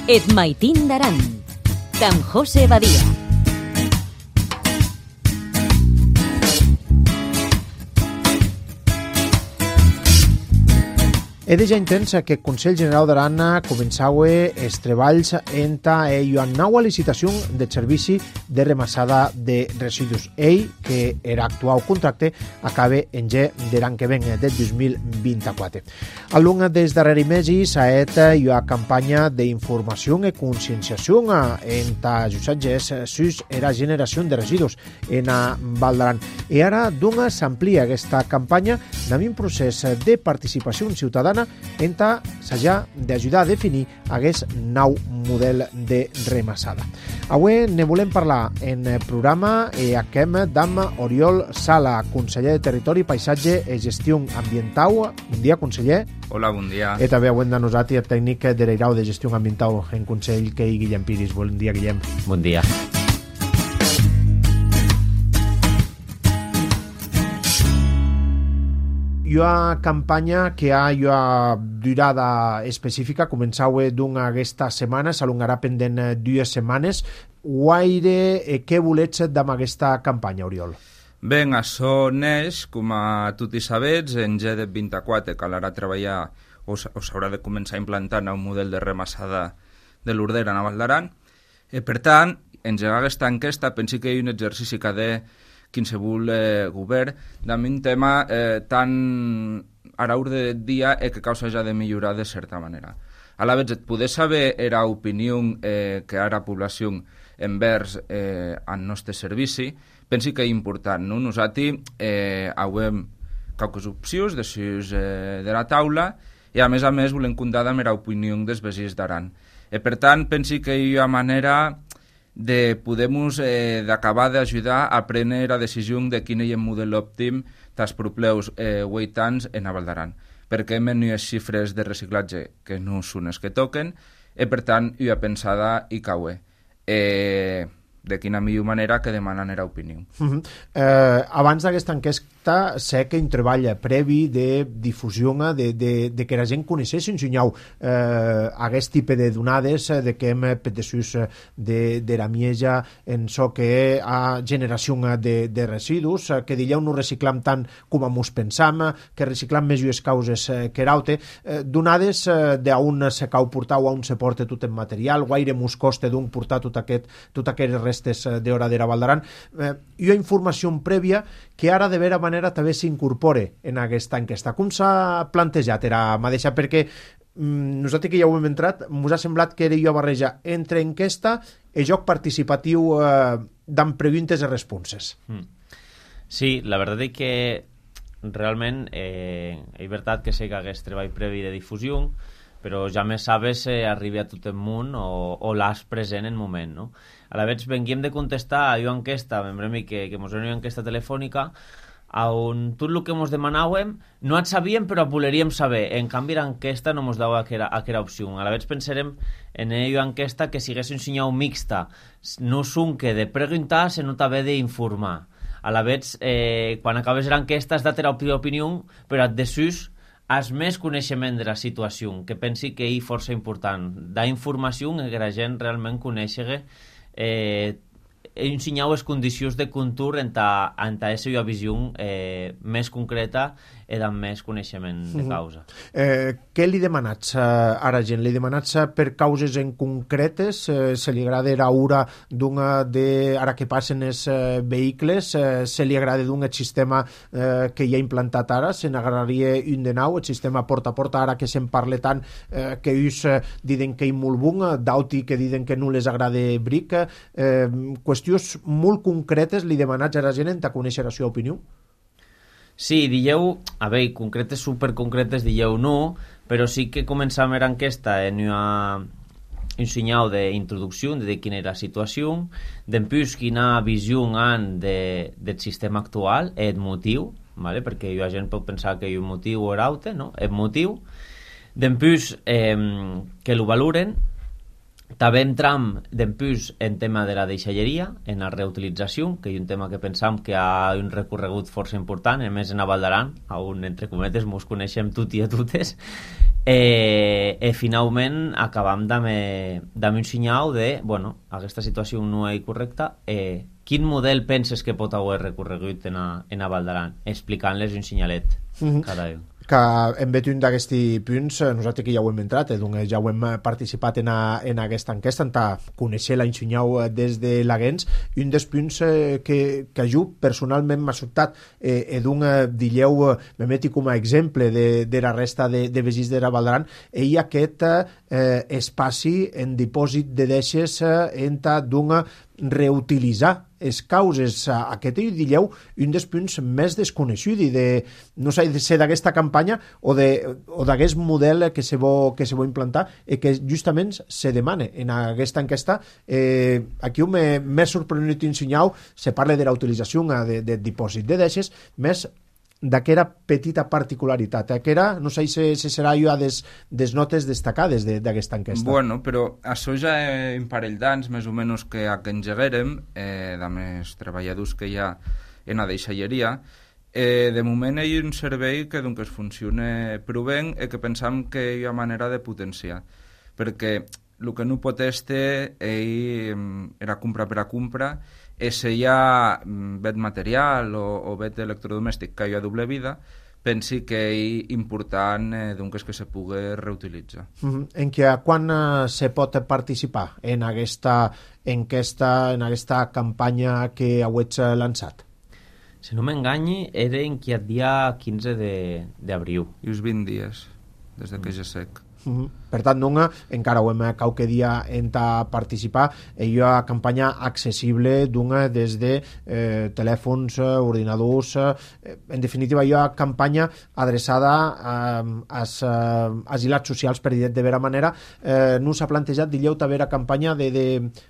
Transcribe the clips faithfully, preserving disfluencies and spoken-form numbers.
Et maitín d'Aran, d'en José Badia. He de ja intensa que el Consell General d'Aran començava els treballs enta una nova licitació de servici de remassada de residus. Ell, que era actual contracte, acaba en ge de l'any que ven, del dos mil vint-i-quatre. Al long dels darrers mesos ha estat una campanya d'informació i conscienciació enta els usatges sus la generació de residus en Val d'Aran. I ara d'una s'amplia aquesta campanya amb un procés de participació ciutadana enta s'haja d'ajudar a definir aquest nou model de remassada. Avui ne volem parlar en el programa i achem d'Am Oriol Sala, conseller de Territori, Paisatge i Gestió Ambiental. Bon dia, conseller. Hola, bon dia. I també avui de nosaltres el tècnic de l'Eirau de Gestió Ambiental en Consell, que és Guillem Piris. Bon dia, Guillem. Bon dia. Hi ha una campanya que ha una durada específica, començava d'una aquesta setmana, s'alongarà pendent dues setmanes. Guaire, eh, què volets amb aquesta campanya, Oriol? Bé, això neix, com a tots sabets, en G de vint-i-quatre calarà treballar o s'haurà de començar a implantar un model de remassada de l'Urdera a Val d'Aran. Eh, per tant, engegar aquesta enquesta, pensi que hi ha un exercici que ha de qualsevol eh, govern d'un tema eh, tan a l'ordre del dia eh, que causa ja de millorar de certa manera. A la vegada, poder saber era opinió eh, que ara població envers eh, al nostre servici, pensi que és important. No? Nosaltres eh, hem qualques opcions de, sus, eh, de la taula i a més a més volem comptar amb l'opinió dels veïns d'Aran. Eh, per tant, pensi que hi ha manera de poder-nos eh, d'acabar d'ajudar a prendre la decisió de quin és el model òptim dels propers eh, vuit anys en Val d'Aran, perquè hem unes xifres de reciclatge que no són les que toquen i per tant hi ha pensada i caue. Eh, de quina millor manera que demanen era opinió. Uh-huh. eh, abans d'aquesta enquesta sé que hi treballa previ de difusió de, de, de que la gent coneixés ensenyau eh, aquest tipus de donades de que hem petesús de, de la mieja en so que a generació de, de residus, que dilleu no reciclam tant com mos pensam, que reciclam més llues causes que raute, eh, donades eh, d'on se cau portar o on se porta tot el material, guaire mos costa d'un portar tot aquest, tot aquest restes d'hora de Val d'Aran. Eh, hi ha informació prèvia que ara de vera manera també s'incorpore en aquesta enquesta. Com s'ha plantejat era mateixa? Perquè mm, nosaltres que ja ho hem entrat, ens ha semblat que era una barreja entre enquesta i joc participatiu eh, d'en preguntes i responses. Mm. Sí, la veritat és que realment eh, és veritat que sé que hagués treball previ de difusió, però ja més sabes eh, arribi a tot el món o, o l'has present en moment, no? A la vegada venguem de contestar a una enquesta, membrem que, que mos era una enquesta telefònica, on tot el que mos demanàvem no et sabíem però voleríem saber. En canvi l'enquesta no mos dava aquella, aquella opció. A la vegada pensarem en una enquesta que sigués un senyal mixta, no són que de preguntar sinó també d'informar. A la vegada eh, quan acabes l'enquesta has de tenir opinió, però et desús has més coneixement de la situació, que pensi que és força important. Da informació que la gent realment coneixi eh, ensenyar les condicions de contour en ta, en ta esa visió eh, més concreta i amb més coneixement de causa. Uh-huh. Eh, què li demanats uh, ara gent? Li demanats uh, per causes en concretes? Uh, se li agrada la ura d'una de... ara que passen els uh, vehicles? Uh, se li agrada d'un sistema uh, que hi ha implantat ara? Se n'agradaria un de nou? El sistema porta a porta, ara que se'n parla tant, uh, que ells uh, diuen que hi molt bon, d'auti que diuen que no les agrada bric. Uh, qüestions molt concretes li demanats a la gent en ta conèixer la seva opinió? Sí, dieu, a veure, concretes, superconcretes, dieu no, però sí que començam era enquesta en una, un senyal d'introducció de quina era la situació, d'empús quina visió han de, del sistema actual, el motiu, ¿vale? Perquè la gent pot pensar que hi ha un motiu o l'altre, no? El motiu, d'empús eh, que lo valoren. També entram d'empús en tema de la deixalleria, en la reutilització, que és un tema que pensam que ha un recorregut força important, a més en Val d'Aran, on entre cometes mos coneixem tot i a totes, Eh, e finalment acabam d'haver un senyal de, bueno, aquesta situació no és correcta, eh, quin model penses que pot haver recorregut en a, en a Val d'Aran, explicant-les un senyalet Mhm. cada un. Que en bet un d'aquests punts, eh, nosaltres que ja ho hem entrat, eh, doncs ja ho hem eh, participat en, a, en aquesta enquesta, en ta conèixer la Insunyau eh, des de l'Aguens, un dels punts eh, que, que jo personalment m'ha sobtat, eh, eh, d'un eh, dilleu, eh, me meti com a exemple de, de la resta de, de vegins de la Val d'Aran, i aquest eh, espaci en dipòsit de deixes eh, en ta d'un reutilitzar les causes. Aquest és, dilleu, un dels punts més desconeguts i de, no sé, de ser d'aquesta campanya o d'aquest model que se vol, que se vol implantar i que justament se demana en aquesta enquesta. Eh, aquí m'he sorprendut ensenyau, se parla de la utilització de, de dipòsit de deixes, més d'aquella petita particularitat, que era, no sé si, si serà jo a des, des notes destacades d'aquesta de, enquesta. Bueno, però això ja és un parell d'anys, més o menys, que a que engeguérem, eh, de més treballadors que hi ha en la deixalleria. Eh, de moment hi ha un servei que doncs, funciona prou i que pensam que hi ha manera de potenciar, perquè el que no pot estar era compra per a compra, és hi ha bet material o, o bet electrodomèstic que hi ha doble vida, pensi que és important eh, doncs, que se pugui reutilitzar. Mm-hmm. En què, quan eh, se pot participar en aquesta enquesta, en aquesta campanya que heu lançat? Si no m'enganyi, era en qui el dia quinze d'abril. I uns vint dies, des de que ja sec. Uh-huh. Per tant, non, encara ho hem qualque dia enta participar, hi ha una campanya accessible d'una des de eh, telèfons, ordinadors, eh, en definitiva hi ha una campanya adreçada eh, als eh, asilats socials, per dir de vera manera. Eh, no s'ha plantejat, dilleu, també la campanya de, de,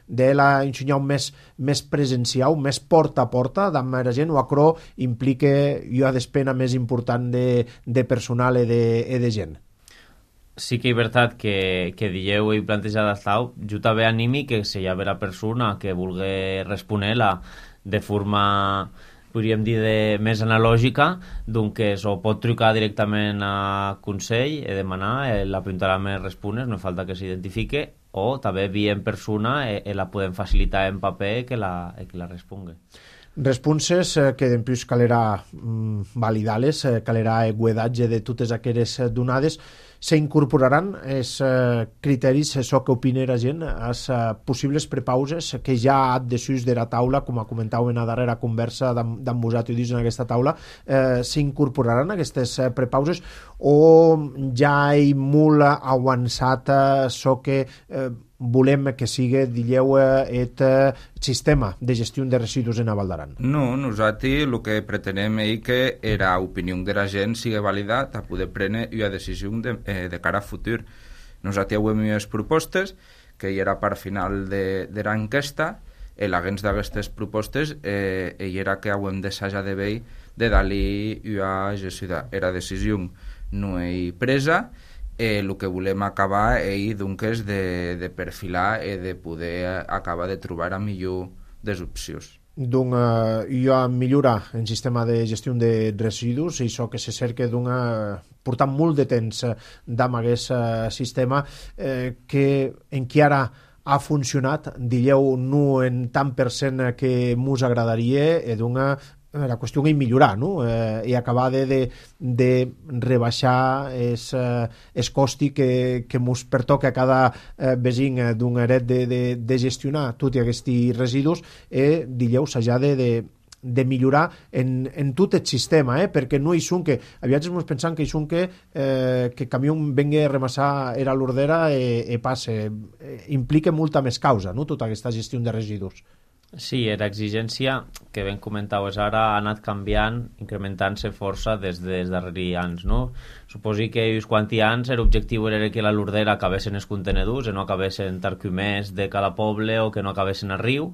de la ensenyar més, més presencial, més porta a porta, d'amb la gent, o acro implica hi ha despena més important de, de personal i de, i de gent. Sí que és veritat que, que dieu i plantejat estau, jo també animi que si hi ha vera persona que vulgui respondre-la de forma, podríem dir, de, més analògica, doncs o pot trucar directament a Consell i demanar, eh, l'apuntarà més respones, no falta que s'identifique, o també via en persona i, i la podem facilitar en paper que la, que la respongui. Responses eh, que després calera mm, validar-les, eh, calera guedatge de totes aquelles donades. S'incorporaran els eh, criteris, això que opina la gent, les eh, possibles prepauses que ja ha desús de la taula, com a comentau en la darrera conversa d'en vosaltres en aquesta taula, eh, s'incorporaran aquestes eh, prepauses o ja hi molt avançat això que eh, volem que sigui, dilleu, aquest sistema de gestió de residus en Val d'Aran? No, nosaltres el que pretenem és que la opinió de la gent sigui validat a poder prendre una decisió de, eh, de cara a futur. Nosaltres hem unes propostes que hi era part final de, de l'enquesta i l'agents d'aquestes propostes eh, hi era que hem d'assajar de veure de dar-li una gestió. La decisió no és presa. Eh, el que volem acabar és doncs, de, de perfilar i de poder acabar de trobar a millor des opcions. Doncs eh, hi ha millorar el sistema de gestió de residus i això que se cerca d'una portant molt de temps d'amb aquest eh, sistema eh, que en qui ara ha funcionat, dilleu, no en tant per cent que mos agradaria, i d'una la qüestió és millorar, no? Eh, i acabar de, de, de rebaixar es, eh, es costi que, que mos pertoca a cada eh, vesin d'un eret de, de, de gestionar tots aquests residus i, dilleu, s'ha de, de, de millorar en, en tot el sistema, eh? Perquè no hi són que, aviat ens pensant que hi són que eh, que camió vengui a remassar era l'ordera i, i passe. Eh, implica molta més causa, no?, tota aquesta gestió de residus. Sí, l'exigència que ben comentaves ara ha anat canviant, incrementant-se força des dels darrers anys, no? Suposi que uns quants anys l'objectiu era que la Lordera acabessin els contenedors i no acabessin tarcumers de cada poble o que no acabessin a riu.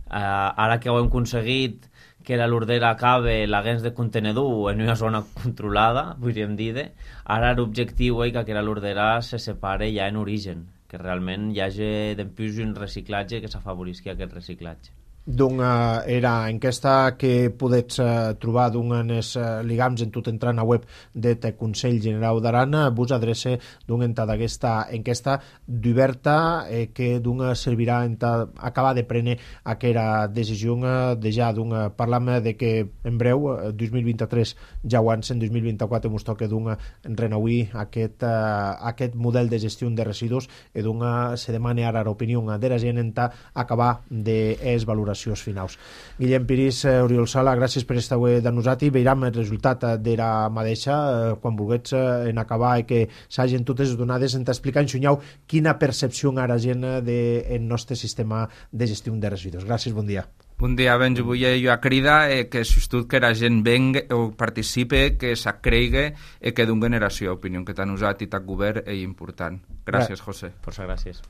Uh, ara que ho hem aconseguit que la Lordera acabe l'agents de contenedor en una zona controlada, podríem dir, ara l'objectiu és que la Lordera se separe ja en origen, que realment hi hagi d'empús un reciclatge que s'afavorisqui aquest reciclatge. Doncs uh, era enquesta que podets uh, trobar d'un els uh, ligams en tot entrant a web det Consell Generau d'Aran. Vos adrece d'un enta d'aquesta enquesta d'oberta eh, que d'un servirà enta acabar de prendre aquera decisió uh, de ja d'un uh, parlam de que en breu, uh, dos mil vint-i-tres ja abans, en dos mil vint-i-quatre mos toca d'un renauir aquest, uh, aquest model de gestió de residus i d'un uh, se demana ara l'opinió de la gent enta acabar de es valoracions finals. Guillem Piris, eh, Oriol Sala, gràcies per estar avui de nosaltres. Veiram el resultat de la mateixa eh, quan vulguets eh, en acabar i que s'hagin totes donades en t'explicar en xunyau quina percepció ara gent del nostre sistema de gestió de residus. Gràcies, bon dia. Bon dia, ben, jo vull jo a cridar eh, que s'estut que la gent venga o participe, que s'acreigue i que d'un generació opinió que t'han usat i t'ha govern és important. Gràcies, José. Força gràcies.